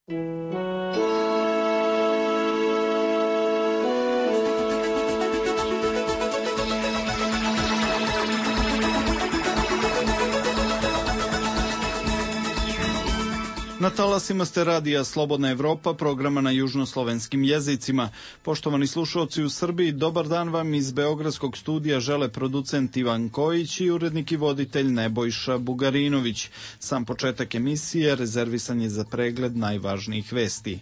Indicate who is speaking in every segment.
Speaker 1: Na talasima ste radija Slobodna Evropa, programa na južnoslovenskim jezicima. Poštovani slušalci u Srbiji, dobar dan vam iz Beogradskog studija žele producent Ivan Kojić i urednik i voditelj Nebojša Bugarinović. Sam početak emisije rezervisan je za pregled najvažnijih vesti.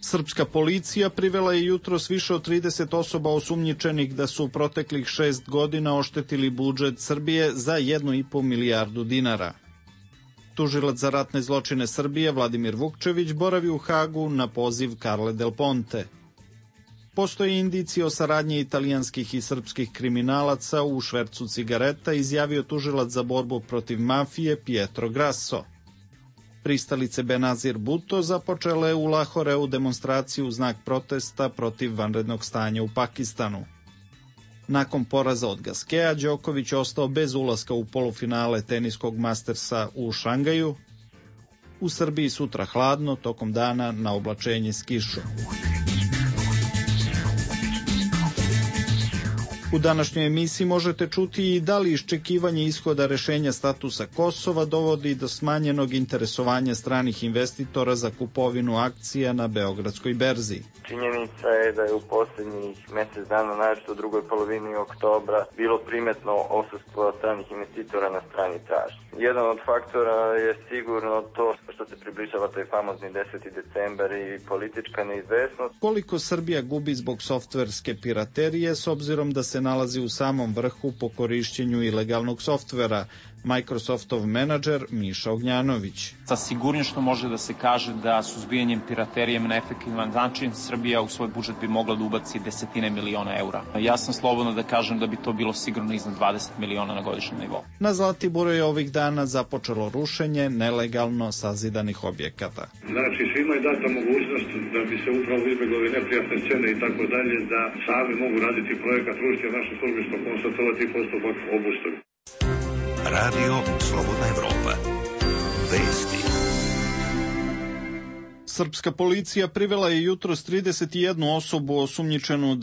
Speaker 1: Srpska policija privela je jutros više od 30 osoba osumnjičenih da su u proteklih 6 godina oštetili budžet Srbije za 1,5 milijardu dinara. Tužilac za ratne zločine Srbije Vladimir Vukčević boravi u Hagu na poziv Carle Del Ponte. Postoje indicije o saradnji italijanskih i srpskih kriminalaca u švercu cigareta, izjavio tužilac za borbu protiv mafije Pietro Grasso. Pristalice Benazir Bhutto započele u Lahoreu demonstraciju u znak protesta protiv vanrednog stanja u Pakistanu. Nakon poraza od Gaskea, Đoković ostao bez ulaska u polufinale teniskog Mastersa u Šangaju. U Srbiji sutra hladno, tokom dana na oblačenje s kišom. U današnjoj emisiji možete čuti i da li iščekivanje ishoda rešenja statusa Kosova dovodi do smanjenog interesovanja stranih investitora za kupovinu akcija na Beogradskoj berzi.
Speaker 2: Činjenica je da je u posljednjih mjesec dana, naročito u drugoj polovini oktobra, bilo primetno odsustvo stranih investitora na strani tražnje. Jedan od faktora je sigurno to što se približava taj famozni 10. decembar i politička neizvesnost.
Speaker 1: Koliko Srbija gubi zbog softverske piraterije s obzirom da se nalazi u samom vrhu po korišćenju ilegalnog softvera, Microsoftov menadžer Miša Ognjanović.
Speaker 3: Sa sigurnošću može da se kaže da suzbijanjem piraterije na efektivan način Srbija u svoj budžet bi mogla da ubaci desetine miliona eura. Ja sam slobodno da kažem da bi to bilo sigurno iznad 20 miliona na godišnjem nivou.
Speaker 1: Na Zlatiboru je ovih dana započelo rušenje nelegalno sazidanih objekata.
Speaker 4: Znači, svima je data mogućnost da bi se upravo izbjegli ove neprijatne scene i tako dalje, da sami mogu raditi projekat rušenja naše službe, što konstatovati postupak obustavi.
Speaker 5: Radio Slobodna Evropa. Vesti.
Speaker 1: Srpska policija privela je jutros 31 osobu osumnjičenu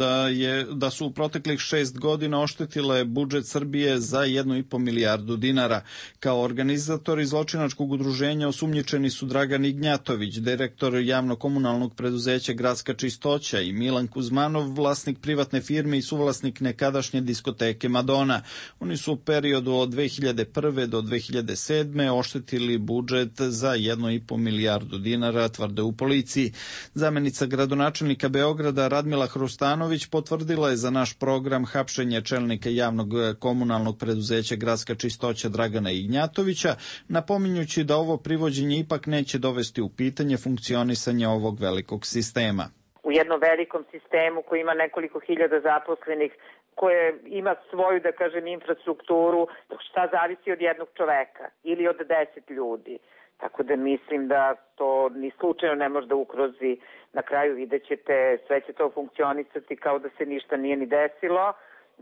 Speaker 1: da su u proteklih 6 godina oštetile budžet Srbije za 1,5 milijardu dinara. Kao organizatori zločinačkog udruženja osumnjičeni su Dragan Ignjatović, direktor javno-komunalnog preduzeća Gradska čistoća, i Milan Kuzmanov, vlasnik privatne firme i suvlasnik nekadašnje diskoteke Madona. Oni su u periodu od 2001. do 2007. oštetili budžet za 1,5 milijardu dinara, tvrde u policiji. Zamenica gradonačelnika Beograda Radmila Hrustanović potvrdila je za naš program hapšenje čelnika javnog komunalnog preduzeća Gradska čistoća Dragana Ignjatovića, napominjući da ovo privođenje ipak neće dovesti u pitanje funkcionisanje ovog velikog sistema.
Speaker 6: U jednom velikom sistemu koji ima nekoliko hiljada zaposlenih, koje ima svoju, da kažem, infrastrukturu, šta zavisi od jednog čoveka ili od 10 ljudi. Tako da mislim da to ni slučajno ne može da ukrozi. Na kraju vidjet ćete, sve će to funkcionisati kao da se ništa nije ni desilo.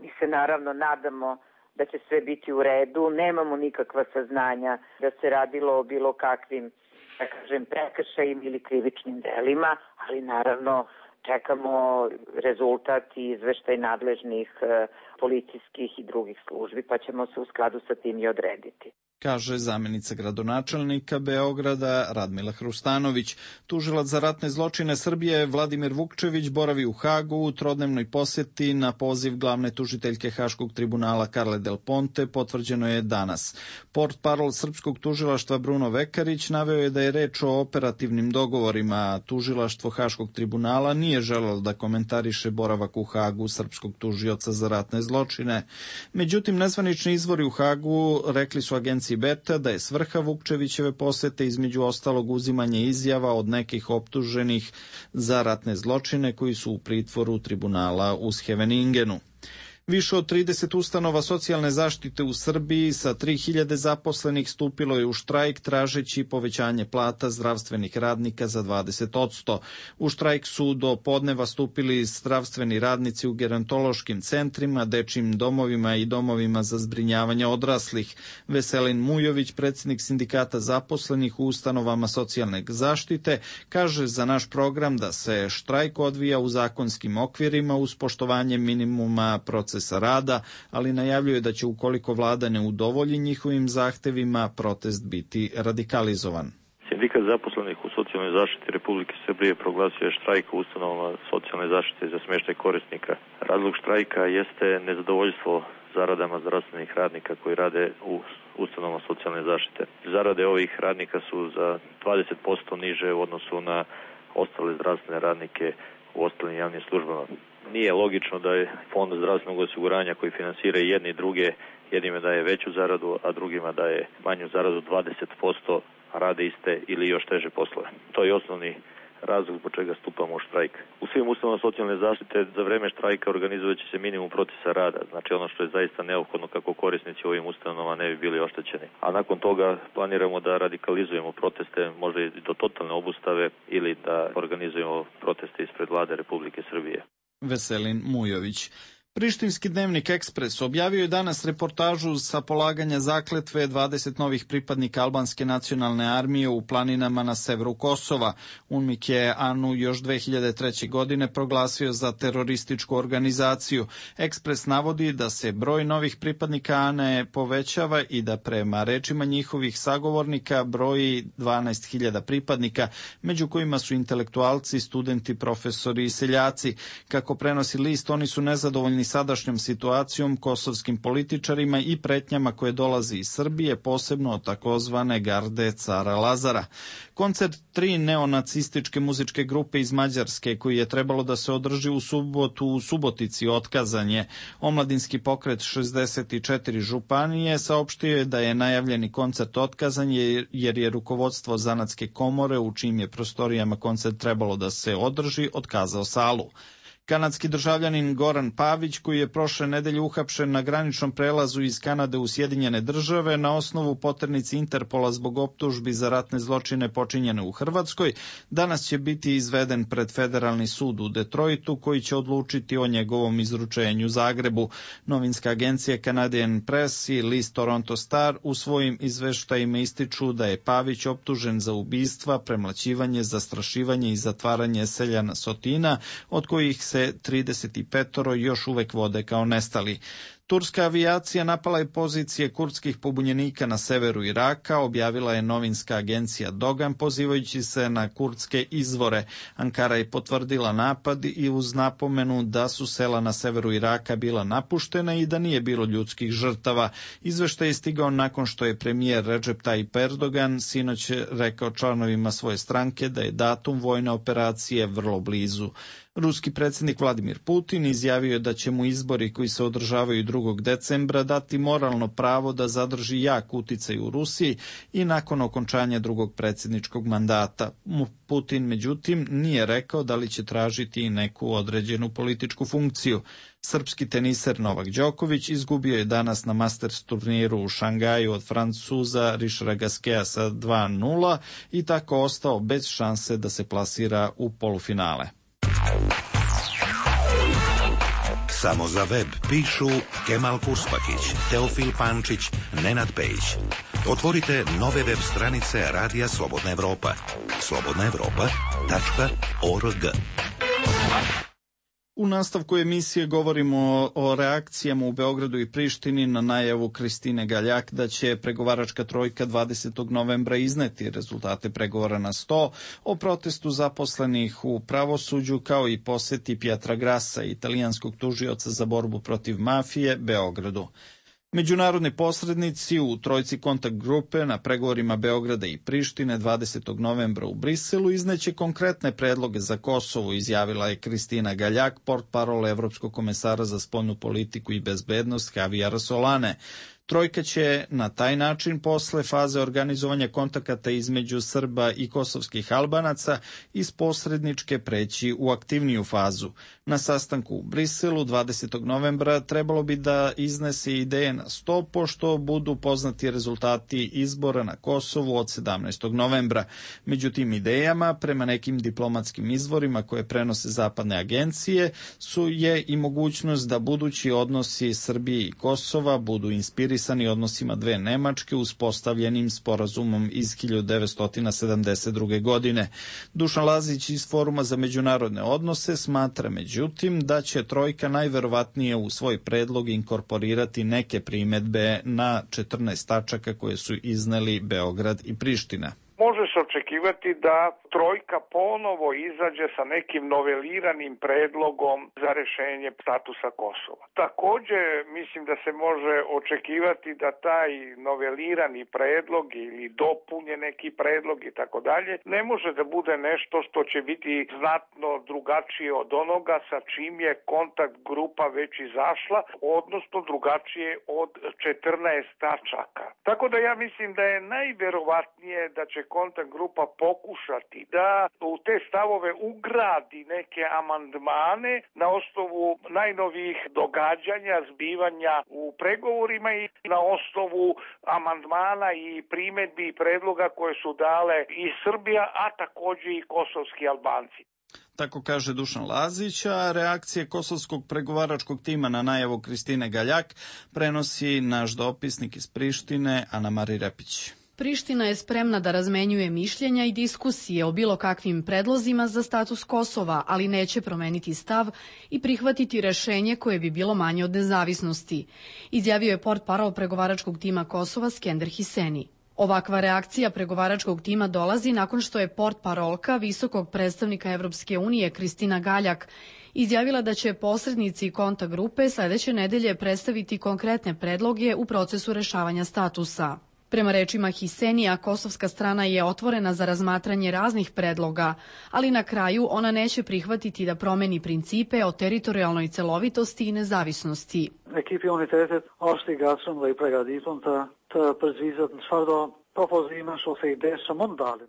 Speaker 6: Mi se naravno nadamo da će sve biti u redu. Nemamo nikakva saznanja da se radilo o bilo kakvim, da kažem, prekršajima ili krivičnim delima, ali naravno čekamo rezultat i izveštaj nadležnih policijskih i drugih službi, pa ćemo se u skladu sa tim i odrediti,
Speaker 1: kaže zamenica gradonačelnika Beograda Radmila Hrustanović. Tužilac za ratne zločine Srbije Vladimir Vukčević boravi u Hagu u trodnevnoj posjeti na poziv glavne tužiteljke Haškog tribunala Carle Del Ponte, potvrđeno je danas. Portparol srpskog tužilaštva Bruno Vekarić naveo je da je reč o operativnim dogovorima. Tužilaštvo Haškog tribunala nije želelo da komentariše boravak u Hagu srpskog tužioca za ratne zločine. Međutim, nezvanični izvori u Hagu rekli su agenciji Beta da je svrha Vukčevićeve posete između ostalog uzimanje izjava od nekih optuženih za ratne zločine koji su u pritvoru tribunala u Scheveningenu. Više od 30 ustanova socijalne zaštite u Srbiji sa 3000 zaposlenih stupilo je u štrajk tražeći povećanje plata zdravstvenih radnika za 20%. U štrajk su do podneva stupili zdravstveni radnici u gerontološkim centrima, dečjim domovima i domovima za zbrinjavanje odraslih. Veselin Mujović, predsjednik sindikata zaposlenih u ustanovama socijalne zaštite, kaže za naš program da se štrajk odvija u zakonskim okvirima uz poštovanje minimuma procesa rada, ali najavljuje da će ukoliko vlada ne udovolji njihovim zahtevima, protest biti radikalizovan.
Speaker 7: Sindikat zaposlenih u socijalnoj zaštiti Republike Srbije proglasio je štrajk u ustanovama socijalne zaštite za smještaj korisnika. Razlog štrajka jeste nezadovoljstvo zaradama zdravstvenih radnika koji rade u ustanovama socijalne zaštite. Zarade ovih radnika su za 20% niže u odnosu na ostale zdravstvene radnike u ostalim javnim službama. Nije logično da je Fond zdravstvenog osiguranja koji finansira i jedni i druge, jednima daje veću zaradu, a drugima daje manju zaradu 20%, a rade iste ili još teže poslove. To je osnovni razlog zbog čega stupamo u štrajk. U svim ustanovama socijalne zaštite za vreme štrajka organizovat će se minimum procesa rada, znači ono što je zaista neophodno kako korisnici u ovim ustanovama ne bi bili oštećeni. A nakon toga planiramo da radikalizujemo proteste, možda i do totalne obustave ili da organizujemo proteste ispred vlade Republike Srbije.
Speaker 1: Veselin Mujović. Prištinski dnevnik Ekspres objavio je danas reportažu sa polaganja zakletve 20 novih pripadnika albanske nacionalne armije u planinama na severu Kosova. UNMIK je ANU još 2003. godine proglasio za terorističku organizaciju. Ekspres navodi da se broj novih pripadnika ANE povećava i da prema rečima njihovih sagovornika broji 12.000 pripadnika, među kojima su intelektualci, studenti, profesori i seljaci. Kako prenosi list, oni su nezadovoljni sadašnjom situacijom, kosovskim političarima i pretnjama koje dolazi iz Srbije, posebno od takozvane garde cara Lazara. Koncert 3 neonacističke muzičke grupe iz Mađarske, koji je trebalo da se održi u subotu u Subotici, otkazan je. Omladinski pokret 64 županije saopštio je da je najavljeni koncert otkazan jer je rukovodstvo Zanatske komore, u čijim je prostorijama koncert trebalo da se održi, otkazao salu. Kanadski državljanin Goran Pavić, koji je prošle nedelje uhapšen na graničnom prelazu iz Kanade u Sjedinjene države na osnovu poternici Interpola zbog optužbi za ratne zločine počinjene u Hrvatskoj, danas će biti izveden pred Federalni sud u Detroitu, koji će odlučiti o njegovom izručenju Zagrebu. Novinska agencija Canadian Press i list Toronto Star u svojim izveštajima ističu da je Pavić optužen za ubistva, premlaćivanje, zastrašivanje i zatvaranje seljana Sotina, od kojih se 35 još uvek vode kao nestali. Turska avijacija napala je pozicije kurdskih pobunjenika na severu Iraka, objavila je novinska agencija Dogan, pozivajući se na kurdske izvore. Ankara je potvrdila napad i uz napomenu da su sela na severu Iraka bila napuštena i da nije bilo ljudskih žrtava. Izveštaj je stigao nakon što je premijer Recep Tayyip Erdogan sinoć rekao članovima svoje stranke da je datum vojne operacije vrlo blizu. Ruski predsjednik Vladimir Putin izjavio je da će mu izbori koji se održavaju 2. decembra dati moralno pravo da zadrži jak uticaj u Rusiji i nakon okončanja drugog predsjedničkog mandata. Putin, međutim, nije rekao da li će tražiti i neku određenu političku funkciju. Srpski teniser Novak Đoković izgubio je danas na Masters turniru u Šangaju od Francuza Richarda Gasqueta sa 2:0 i tako ostao bez šanse da se plasira u polufinale.
Speaker 5: Samo za web pišu Kemal Kurspakić, Teofil Pančić, Nenad Pejić. Otvorite nove web stranice Radija Slobodna Evropa. slobodnaevropa.org.
Speaker 1: U nastavku emisije govorimo o reakcijama u Beogradu i Prištini na najavu Kristine Galjak da će pregovaračka trojka 20. novembra izneti rezultate pregovora na sto, o protestu zaposlenih u pravosuđu, kao i poseti Pietra Grassa, italijanskog tužioca za borbu protiv mafije, Beogradu. Međunarodni posrednici u trojci kontakt grupe na pregovorima Beograda i Prištine 20. novembra u Briselu izneće konkretne predloge za Kosovo, izjavila je Kristina Galjak, portparol Evropskog komesara za spoljnu politiku i bezbednost Javijara Solane. Trojka će na taj način posle faze organizovanja kontakata između Srba i kosovskih Albanaca iz posredničke preći u aktivniju fazu. Na sastanku u Briselu 20. novembra trebalo bi da iznese ideje na sto, pošto budu poznati rezultati izbora na Kosovu od 17. novembra. Među tim idejama, prema nekim diplomatskim izvorima koje prenose zapadne agencije, je i mogućnost da budući odnosi Srbije i Kosova budu inspirisani odnosima dve Nemačke uspostavljenim sporazumom iz 1972. godine. Dušan Lazić iz Foruma za međunarodne odnose smatra međutim da će trojka najverovatnije u svoj predlog inkorporirati neke primedbe na 14 tačaka koje su izneli Beograd i Priština.
Speaker 8: Može se očekivati da trojka ponovo izađe sa nekim noveliranim predlogom za rešenje statusa Kosova. Takođe, mislim da se može očekivati da taj novelirani predlog ili dopunje neki predlog i tako dalje ne može da bude nešto što će biti znatno drugačije od onoga sa čim je kontakt grupa već izašla, odnosno drugačije od 14 tačaka. Tako da ja mislim da je najverovatnije da će kontakt grupa pokušati da u te stavove ugradi neke amandmane na osnovu najnovijih događanja, zbivanja u pregovorima i na osnovu amandmana i primedbi i predloga koje su dale i Srbija, a takođe i kosovski Albanci.
Speaker 1: Tako kaže Dušan Lazić, a reakcije kosovskog pregovaračkog tima na najavu Kristine Galjak prenosi naš dopisnik iz Prištine, Ana Mari Repić.
Speaker 9: Priština je spremna da razmenjuje mišljenja i diskusije o bilo kakvim predlozima za status Kosova, ali neće promeniti stav i prihvatiti rešenje koje bi bilo manje od nezavisnosti, izjavio je portparol pregovaračkog tima Kosova Skender Hiseni. Ovakva reakcija pregovaračkog tima dolazi nakon što je portparolka visokog predstavnika Evropske unije Kristina Galjak izjavila da će posrednici kontakt grupe sledeće nedelje predstaviti konkretne predloge u procesu rešavanja statusa. Prema rečima Hisenija, kosovska strana je otvorena za razmatranje raznih predloga, ali na kraju ona neće prihvatiti da promeni principe o teritorijalnoj celovitosti i nezavisnosti.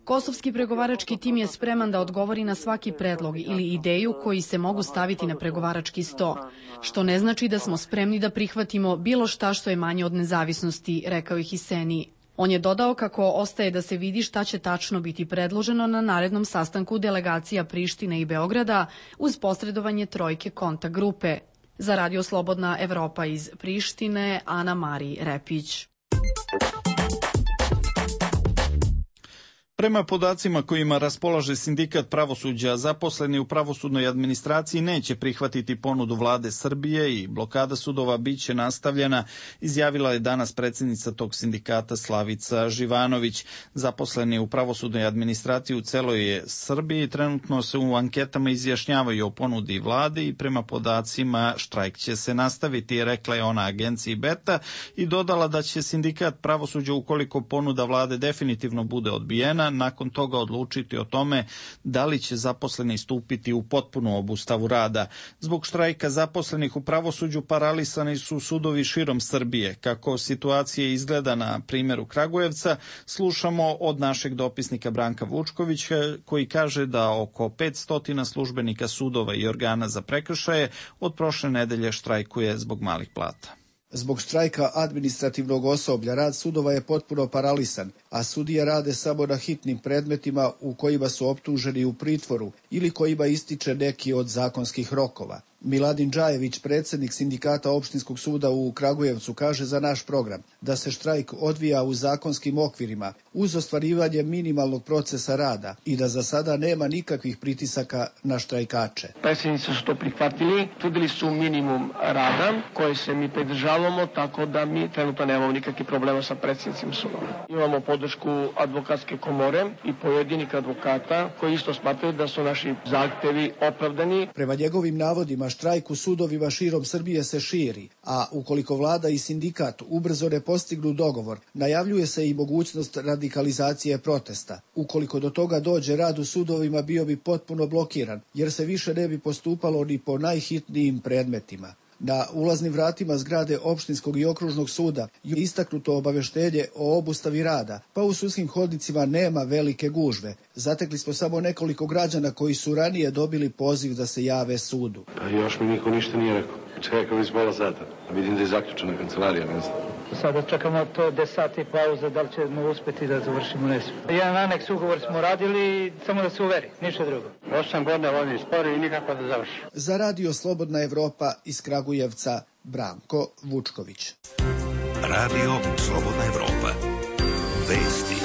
Speaker 9: Kosovski pregovarački tim je spreman da odgovori na svaki predlog ili ideju koji se mogu staviti na pregovarački sto, što ne znači da smo spremni da prihvatimo bilo šta što je manje od nezavisnosti, rekao je Hiseni. On je dodao kako ostaje da se vidi šta će tačno biti predloženo na narednom sastanku delegacija Prištine i Beograda uz posredovanje trojke kontakt grupe. Za Radio Slobodna Evropa iz Prištine, Ana Mari Repić.
Speaker 1: Prema podacima kojima raspolaže Sindikat pravosuđa, zaposleni u pravosudnoj administraciji neće prihvatiti ponudu vlade Srbije i blokada sudova biće nastavljena, izjavila je danas predsjednica tog sindikata Slavica Živanović. Zaposleni u pravosudnoj administraciji u celoj Srbiji trenutno se u anketama izjašnjavaju o ponudi vlade i prema podacima štrajk će se nastaviti, rekla je ona agenciji Beta i dodala da će sindikat pravosuđa, ukoliko ponuda vlade definitivno bude odbijena, nakon toga odlučiti o tome da li će zaposleni stupiti u potpunu obustavu rada. Zbog štrajka zaposlenih u pravosuđu paralisani su sudovi širom Srbije. Kako situacija izgleda na primjeru Kragujevca, slušamo od našeg dopisnika Branka Vučkovića, koji kaže da oko 500 službenika sudova i organa za prekršaje od prošle nedelje štrajkuje zbog malih plata.
Speaker 10: Zbog štrajka administrativnog osoblja rad sudova je potpuno paralisan, a sudije rade samo na hitnim predmetima u kojima su optuženi u pritvoru ili kojima ističe neki od zakonskih rokova. Miladin Džajević, predsjednik sindikata opštinskog suda u Kragujevcu, kaže za naš program da se štrajk odvija u zakonskim okvirima uz ostvarivanje minimalnog procesa rada i da za sada nema nikakvih pritisaka na štrajkače.
Speaker 11: Predsjednici su to prihvatili, tvrdili su minimum rada koje se mi pridržavamo, tako da mi trenutno nemamo nikakvih problema sa predsjednicima sudova. Imamo podršku advokatske komore i pojedinih advokata koji isto smatraju da su naši zahtevi opravdani.
Speaker 10: Prema njegovim navodima, štrajk u sudovima širom Srbije se širi, a ukoliko vlada i sindikat ubrzo ne postignu dogovor, najavljuje se i mogućnost radikalizacije protesta. Ukoliko do toga dođe, rad u sudovima bio bi potpuno blokiran, jer se više ne bi postupalo ni po najhitnijim predmetima. Na ulaznim vratima zgrade opštinskog i okružnog suda je istaknuto obaveštenje o obustavi rada, pa u sudskim hodnicima nema velike gužve. Zatekli smo samo nekoliko građana koji su ranije dobili poziv da se jave sudu.
Speaker 12: Pa još mi niko ništa nije rekao. Čekao iz pola sata. Vidim da je zaključena kancelarija, ne znam.
Speaker 13: Sada čekamo to 10 sati pauza, da li ćemo uspeti da završimo nesmo. Jedan aneks ugovor smo radili, samo da se uveri, ništa drugo.
Speaker 12: 8 godina vodim spori i nikako da završi.
Speaker 10: Za Radio Slobodna Evropa iz Kragujevca, Branko Vučković.
Speaker 5: Radio Slobodna Evropa. Vesti.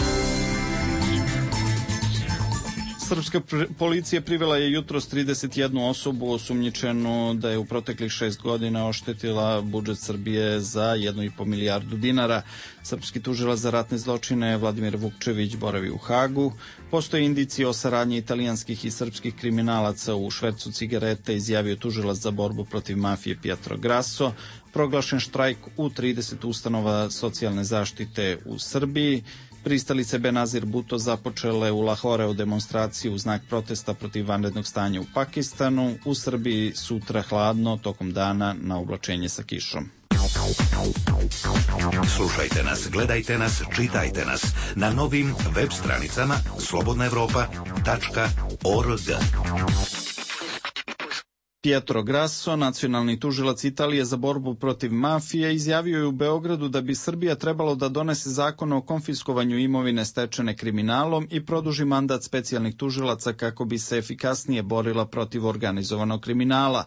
Speaker 1: Srpska policija privela je jutros 31 osobu osumnjičenu da je u proteklih 6 godina oštetila budžet Srbije za 1,5 milijardu dinara. Srpski tužilac za ratne zločine Vladimir Vukčević boravi u Hagu. Postoje indicije o saradnji italijanskih i srpskih kriminalaca u švercu cigareta, izjavio tužilac za borbu protiv mafije Pietro Grasso. Proglašen štrajk u 30 ustanova socijalne zaštite u Srbiji. Pristalice Benazir Bhutto započele u Lahoreu demonstraciju u znak protesta protiv vanrednog stanja u Pakistanu. U Srbiji sutra hladno, tokom dana na oblačenje sa kišom.
Speaker 5: Slušajte nas, gledajte nas, čitajte nas na novim web stranicama slobodnaevropa.org.
Speaker 1: Pietro Grasso, nacionalni tužilac Italije za borbu protiv mafije, izjavio je u Beogradu da bi Srbija trebalo da donese zakon o konfiskovanju imovine stečene kriminalom i produži mandat specijalnih tužilaca kako bi se efikasnije borila protiv organizovanog kriminala.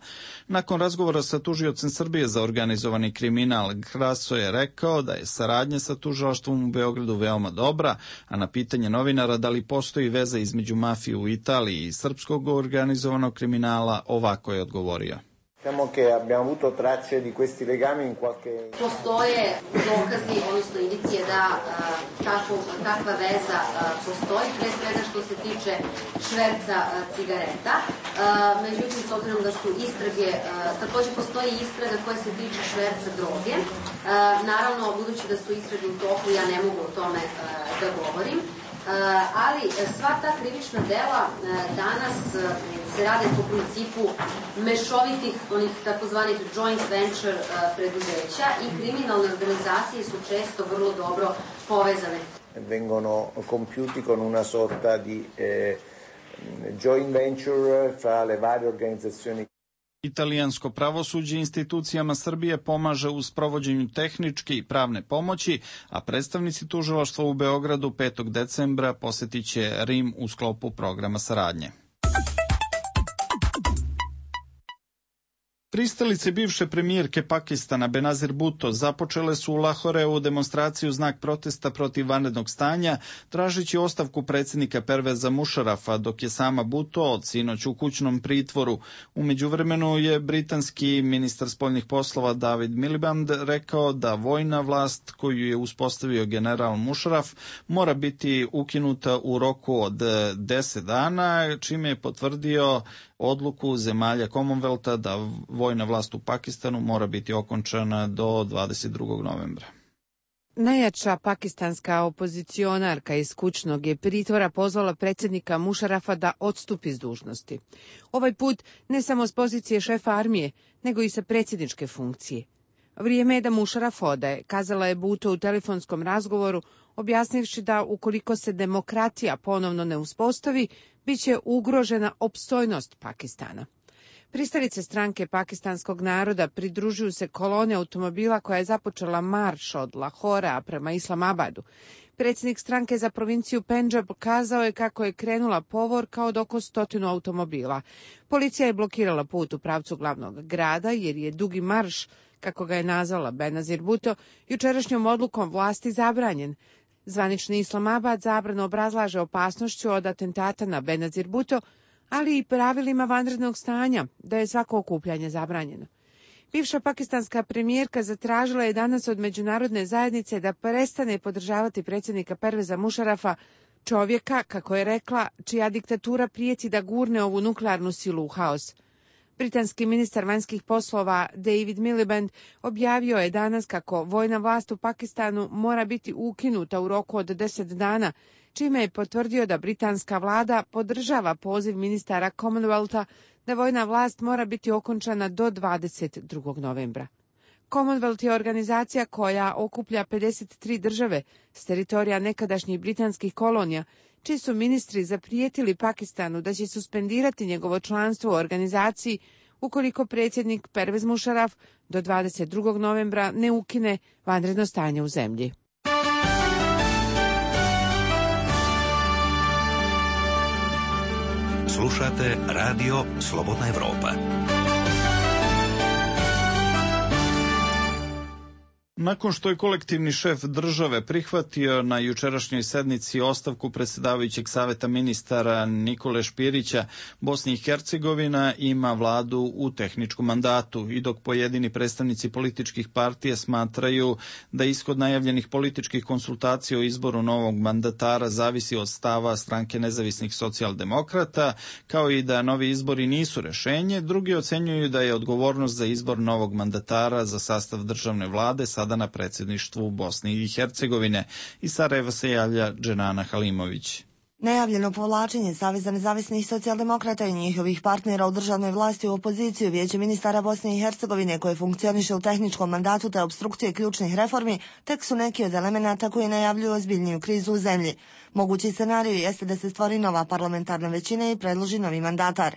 Speaker 1: Nakon razgovora sa tužiocem Srbije za organizovani kriminal, Grasso je rekao da je saradnja sa tužilaštvom u Beogradu veoma dobra, a na pitanje novinara da li postoji veza između mafije u Italiji i srpskog organizovanog kriminala, ovako je odgovorio.
Speaker 14: Postoje dokazi, odnosno indicije da takva veza postoji, pre svega što se tiče šverca cigareta. Međutim, s obzirom da su istrage, takođe postoji istraga koja se tiče šverca droge. Naravno, budući da su istrage u toku, ja ne mogu o tome da govorim. Ali sva ta krivična dela danas se rade po principu mešovitih, onih takozvanih joint venture preduzeća i kriminalne organizacije su često vrlo dobro povezane.
Speaker 15: Vengono compiuti con una sorta di joint venture fra le varie organizzazioni.
Speaker 1: Italijansko pravosuđe institucijama Srbije pomaže u sprovođenju tehničke i pravne pomoći, a predstavnici tužilaštva u Beogradu 5. decembra posetit će Rim u sklopu programa saradnje. Pristalice bivše premijerke Pakistana Benazir Bhutto započele su u Lahoreu demonstraciju znak protesta protiv vanrednog stanja, tražeći ostavku predsjednika Perveza Mušarafa, dok je sama Bhutto od sinoć u kućnom pritvoru. U međuvremenu je britanski ministar spoljnih poslova David Miliband rekao da vojna vlast koju je uspostavio general Mušaraf mora biti ukinuta u roku od 10 dana, čime je potvrdio odluku zemalja Commonwealtha da vojna vlast u Pakistanu mora biti okončana do 22. novembra.
Speaker 16: Najjača pakistanska opozicionarka iz kućnog je pritvora pozvala predsjednika Mušarafa da odstupi s dužnosti. Ovaj put ne samo s pozicije šefa armije, nego i sa predsjedničke funkcije. Vrijeme je da Mušaraf ode, kazala je Bhutto u telefonskom razgovoru, objasnivši da ukoliko se demokratija ponovno ne uspostavi, bit će ugrožena opstojnost Pakistana. Pristalice stranke pakistanskog naroda pridružuju se kolone automobila koja je započela marš od Lahora prema Islamabadu. Predsjednik stranke za provinciju Pendžab kazao je kako je krenula povorka od oko 100 automobila. Policija je blokirala put u pravcu glavnog grada jer je dugi marš, kako ga je nazvala Benazir Bhutto, jučerašnjom odlukom vlasti zabranjen. Zvanični Islamabad zabranu obrazlaže opasnošću od atentata na Benazir Bhutto, ali i pravilima vanrednog stanja, da je svako okupljanje zabranjeno. Bivša pakistanska premijerka zatražila je danas od međunarodne zajednice da prestane podržavati predsjednika Perveza Mušarafa, čovjeka, kako je rekla, čija diktatura prijeti da gurne ovu nuklearnu silu u haos. Britanski ministar vanjskih poslova David Miliband objavio je danas kako vojna vlast u Pakistanu mora biti ukinuta u roku od 10 dana, čime je potvrdio da britanska vlada podržava poziv ministara Commonwealtha da vojna vlast mora biti okončana do 22. novembra. Commonwealth je organizacija koja okuplja 53 države s teritorija nekadašnjih britanskih kolonija, čiji su ministri zaprijetili Pakistanu da će suspendirati njegovo članstvo u organizaciji ukoliko predsjednik Pervez Musharraf do 22. novembra ne ukine vanredno stanje u zemlji.
Speaker 5: Slušate Radio Slobodna Evropa.
Speaker 1: Nakon što je kolektivni šef države prihvatio na jučerašnjoj sednici ostavku predsjedavajućeg saveta ministara Nikole Špirića, Bosna i Hercegovina ima vladu u tehničkom mandatu i dok pojedini predstavnici političkih partija smatraju da ishod najavljenih političkih konsultacija o izboru novog mandatara zavisi od stava stranke nezavisnih socijaldemokrata, kao i da novi izbori nisu rešenje, drugi ocenjuju da je odgovornost za izbor novog mandatara za sastav državne vlade sada na predsjedništvu Bosne i Hercegovine. Iz Sarajeva se javlja Dženana Halimović.
Speaker 17: Najavljeno povlačenje Saveza nezavisnih socijaldemokrata i njihovih partnera u državnoj vlasti u opoziciju Vijeće ministara Bosne i Hercegovine koje funkcioniše u tehničkom mandatu te obstrukcije ključnih reformi tek su neki od elemenata koji najavljuju ozbiljniju krizu u zemlji. Mogući scenarij jeste da se stvori nova parlamentarna većina i predloži novi mandatar.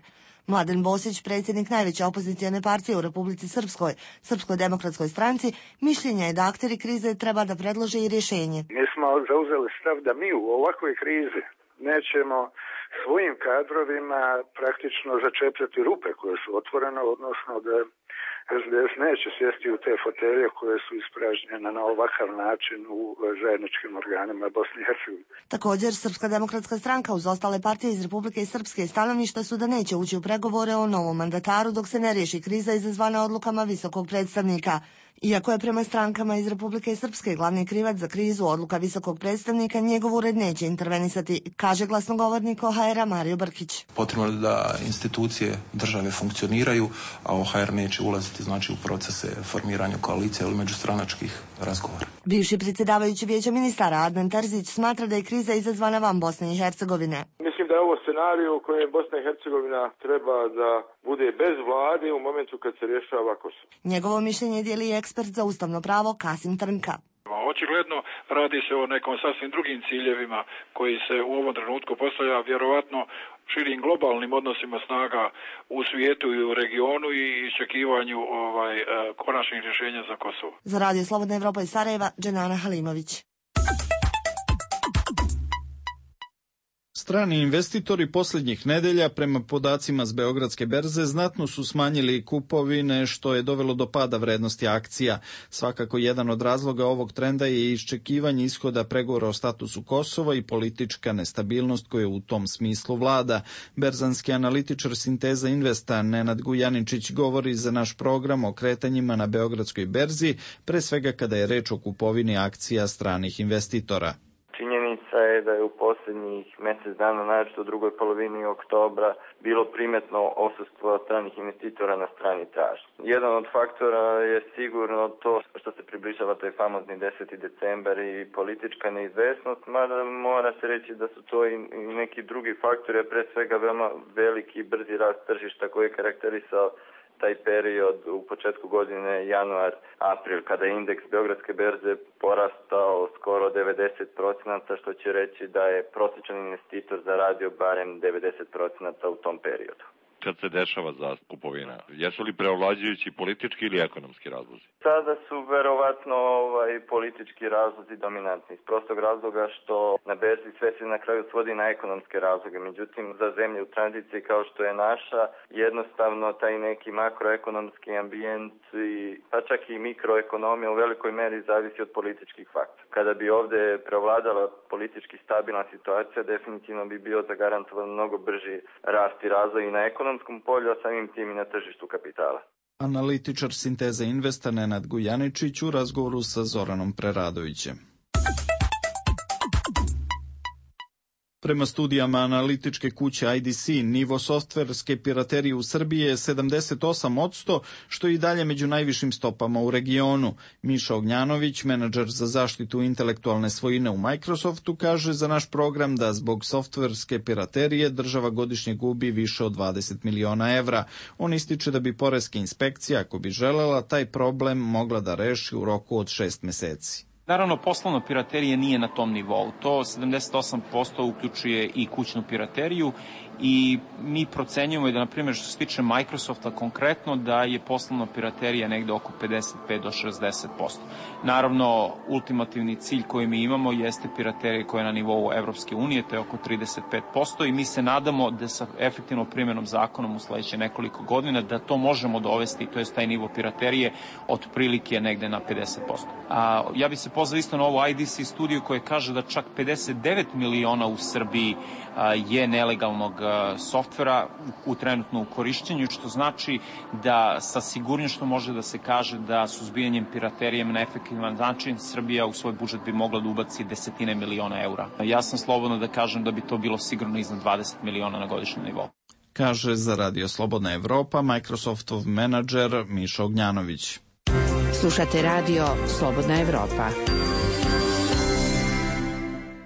Speaker 17: Mladen Bosić, predsjednik najveće opozicijone partije u Republici Srpskoj, Srpskoj demokratskoj stranci, mišljenja je da akteri krize treba da predlože i rješenje.
Speaker 18: Mi smo zauzeli stav da mi u ovakvoj krizi nećemo svojim kadrovima praktično začepljati rupe koje su otvorene, odnosno da SDS neće sjesti u te fotelje koje su ispražnjene na ovakav način u zajedničkim organima Bosne i Hercegovine.
Speaker 17: Također, Srpska demokratska stranka uz ostale partije iz Republike Srpske stanovišta su da neće ući u pregovore o novom mandataru dok se ne riješi kriza izazvana odlukama visokog predstavnika. Iako je prema strankama iz Republike Srpske glavni krivac za krizu odluka visokog predstavnika, njegov ured neće intervenisati, kaže glasnogovornik OHR-a Mario Brkić.
Speaker 19: Potrebno je da institucije države funkcioniraju, a OHR neće ulaziti u procese formiranja koalicije ili međustranačkih razgovora.
Speaker 17: Bivši predsjedavajući Vijeća ministara Adnan Terzić smatra da je kriza izazvana van Bosne i Hercegovine.
Speaker 20: Mislim da je ovo scenarij u kojem Bosna i Hercegovina treba da bude bez vlade u momentu kad se rješava Kosovo.
Speaker 17: Njegovo mišljenje dijeli ekspert za ustavno pravo Kasim Trnka.
Speaker 21: Očigledno radi se o nekom sasvim drugim ciljevima koji se u ovom trenutku postavlja vjerovatno širim globalnim odnosima snaga u svijetu i u regionu i iščekivanju konačnih rješenja za Kosovo.
Speaker 17: Za Radio Slobodna Evropa iz Sarajeva, Dženana Halimović.
Speaker 1: Strani investitori posljednjih nedelja, prema podacima s Beogradske berze, znatno su smanjili kupovine, što je dovelo do pada vrednosti akcija. Svakako jedan od razloga ovog trenda je iščekivanje ishoda pregovora o statusu Kosova i politička nestabilnost koja u tom smislu vlada. Berzanski analitičar Sinteza Investa Nenad Gujaničić govori za naš program o kretanjima na Beogradskoj berzi, pre svega kada je reč o kupovini akcija stranih investitora.
Speaker 2: Činjenica je da je u posljednjih mjesec dana, naročito u drugoj polovini oktobra, bilo primetno odsustvo stranih investitora na strani tražnje. Jedan od faktora je sigurno to što se približava taj famozni 10. decembar i politička neizvesnost, mada mora se reći da su to i neki drugi faktori, a pre svega veoma veliki i brzi rast tržišta koji je karakterisao taj period u početku godine januar-april, kada je indeks Beogradske berze porastao skoro 90%, što će reći da je prosječan investitor zaradio barem 90% u tom periodu.
Speaker 22: Kad se dešava za kupovina, jesu li preovlađujući politički ili ekonomski razlozi?
Speaker 2: Sada su verovatno politički razlozi dominantni, iz prostog razloga što na berzi sve se na kraju svodi na ekonomske razloge. Međutim, za zemlje u tranziciji kao što je naša, jednostavno taj neki makroekonomski ambijent pa čak i mikroekonomija u velikoj meri zavisi od političkih faktora. Kada bi ovdje prevladala politički stabilna situacija, definitivno bi bio zagarantovan mnogo brži rast i razvoj i na ekonomskom polju, a samim tim i na tržištu kapitala.
Speaker 1: Analitičar Sinteze Investa Nenad Gujaničić u razgovoru sa Zoranom Preradovićem. Prema studijama analitičke kuće IDC, nivo softverske piraterije u Srbiji je 78%, što je i dalje među najvišim stopama u regionu. Miša Ognjanović, menadžer za zaštitu intelektualne svojine u Microsoftu, kaže za naš program da zbog softverske piraterije država godišnje gubi više od 20 miliona evra. On ističe da bi poreska inspekcija, ako bi želela, taj problem mogla da reši u roku od 6 meseci.
Speaker 3: Naravno, poslovna piraterija nije na tom nivou. To 78% uključuje i kućnu pirateriju i mi procenjujemo da, na primjer, što se tiče Microsofta konkretno, da je poslovna piraterija negde oko 55 do 60%. Naravno, ultimativni cilj koji mi imamo jeste piraterija koja je na nivou Evropske unije, to je oko 35% i mi se nadamo da sa efektivnom primjenom zakonom u sledeće nekoliko godina da to možemo dovesti, to je taj nivo piraterije, otprilike negde na 50%. Ja bi se pozvao isto na ovu IDC studiju koja kaže da čak 59 miliona u Srbiji je nelegalnog softvera u trenutno u korišćenju, što znači da sa sigurnošću može da se kaže da suzbijanjem piraterije na efektivan način Srbija u svoj budžet bi mogla da ubaci desetine miliona eura. Ja sam slobodno da kažem da bi to bilo sigurno iznad 20 miliona na godišnjem nivou.
Speaker 1: Kaže za Radio Slobodna Evropa Microsoftov menadžer Miša Ognjanović.
Speaker 16: Slušate Radio Slobodna Evropa.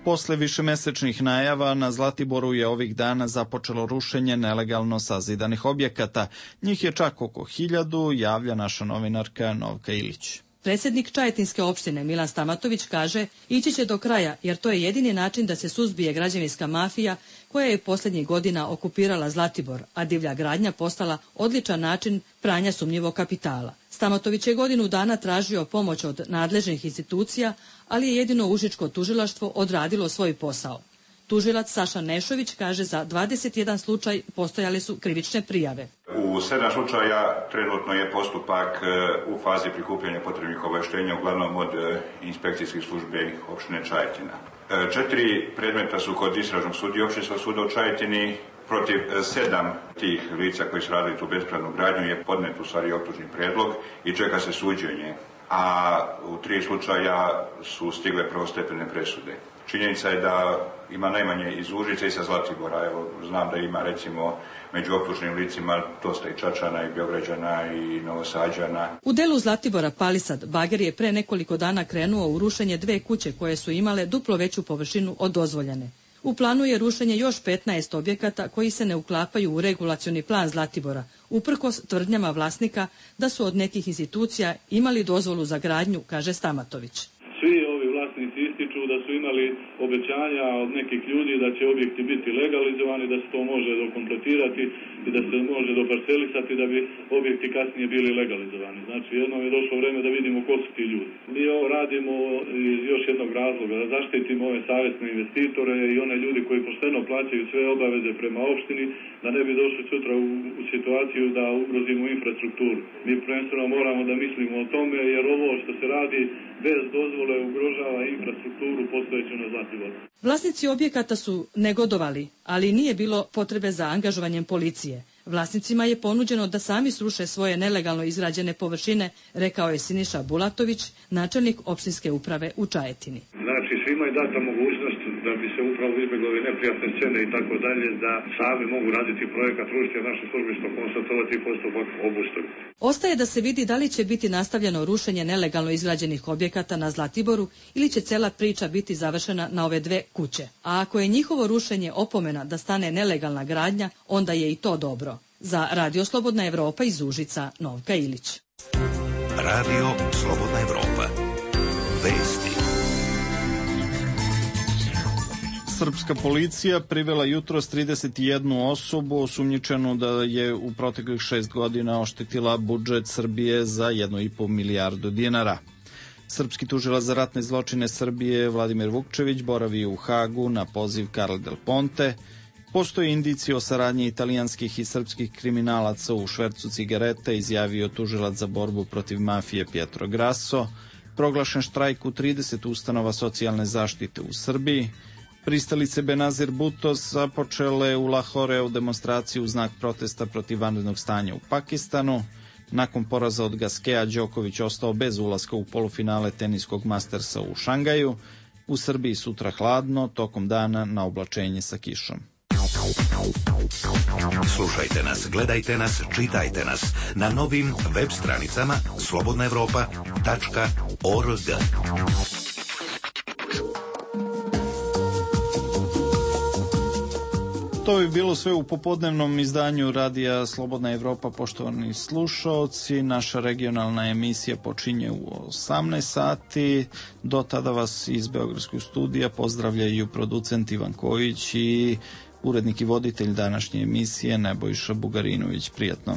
Speaker 1: Posle višemesečnih najava na Zlatiboru je ovih dana započelo rušenje nelegalno sazidanih objekata. Njih je čak oko 1000, javlja naša novinarka Novka Ilić.
Speaker 4: Predsjednik Čajetinske opštine Milan Stamatović kaže ići će do kraja jer to je jedini način da se suzbije građevinska mafija koja je posljednjih godina okupirala Zlatibor, a divlja gradnja postala odličan način pranja sumnjivog kapitala. Stamatović je godinu dana tražio pomoć od nadležnih institucija, ali je jedino Užičko tužilaštvo odradilo svoj posao. Tužilac Saša Nešović kaže za 21 slučaj postojale su krivične prijave.
Speaker 23: U 7 slučaja trenutno je postupak u fazi prikupljanja potrebnih obaveštenja, uglavnom od inspekcijskih službi opštine Čajetina. 4 predmeta su kod istražnog sudije Opštinskog suda u Čajetini. Protiv 7 tih lica koji su radili tu bespravnu gradnju je podnet u stvari optužni predlog i čeka se suđenje, a u 3 slučaja su stigle prvostepene presude. Činjenica je da ima najmanje iz Užice i sa Zlatibora. Evo, znam da ima recimo među optuženim licima dosta i Čačana i Beograđana i Novosađana.
Speaker 4: U delu Zlatibora Palisad bager je pre nekoliko dana krenuo u rušenje 2 kuće koje su imale duplo veću površinu od dozvoljene. U planu je rušenje još 15 objekata koji se ne uklapaju u regulacioni plan Zlatibora, uprkos tvrdnjama vlasnika da su od nekih institucija imali dozvolu za gradnju, kaže Stamatović.
Speaker 24: Svi ovi vlasnici ističu da su imali obećanja od nekih ljudi da će objekti biti legalizovani, da se to može dokompletirati i da se može doparcelisati da bi objekti kasnije bili legalizovani. Znači jednom je došlo vreme da vidimo ko su ti ljudi. Mi ovo radimo iz još jednog razloga, da zaštitimo ove savjesne investitore i one ljudi koji pošteno plaćaju sve obaveze prema opštini, da ne bi došli sutra u situaciju da ugrozimo infrastrukturu. Mi prvenstveno moramo da mislimo o tome jer ovo što se radi bez dozvole ugrožava infrastrukturu postojeću na Zlatiboru.
Speaker 4: Vlasnici objekata su negodovali, ali nije bilo potrebe za angažovanjem policije. Vlasnicima je ponuđeno da sami sruše svoje nelegalno izgrađene površine, rekao je Siniša Bulatović, načelnik opštinske uprave u Čajetini.
Speaker 24: Znači svima je data mogućnost da bi se upravo izbjegli ove neprijatne scene i tako dalje, da sami mogu raditi projekat, rušiti naše službe što konstatovati postupak obustaviti.
Speaker 4: Ostaje da se vidi da li će biti nastavljeno rušenje nelegalno izgrađenih objekata na Zlatiboru ili će cela priča biti završena na ove 2 kuće. A ako je njihovo rušenje opomena da stane nelegalna gradnja, onda je i to dobro. Za Radio Slobodna Evropa iz Užica, Novka Ilić.
Speaker 5: Radio Slobodna Evropa. Vesti.
Speaker 1: Srpska policija privela jutros 31 osobu osumnjičenu da je u proteklih 6 godina oštetila budžet Srbije za 1,5 milijardu dinara. Srpski tužilac za ratne zločine Srbije Vladimir Vukčević boravi u Hagu na poziv Carle Del Ponte. Postoje indicije o saradnji italijanskih i srpskih kriminalaca u švercu cigareta, izjavio tužilac za borbu protiv mafije Pietro Grasso. Proglašen štrajk u 30 ustanova socijalne zaštite u Srbiji. Pristalice Benazir Bhutto započele u Lahoreu demonstraciju u znak protesta protiv vanrednog stanja u Pakistanu. Nakon poraza od Gaskea, Đoković ostao bez ulaska u polufinale teniskog Mastersa u Šangaju. U Srbiji sutra hladno, tokom dana na oblačenje sa kišom.
Speaker 5: Slušajte nas, gledajte nas, čitajte nas na novim web stranicama slobodnaevropa.org.
Speaker 1: To bi bilo sve u popodnevnom izdanju Radija Slobodna Evropa, poštovani slušaoci. Naša regionalna emisija počinje u 18 sati. Do tada vas iz Beogradskog studija pozdravljaju producent Ivan Kojić i urednik i voditelj današnje emisije Nebojša Bugarinović. Prijatno.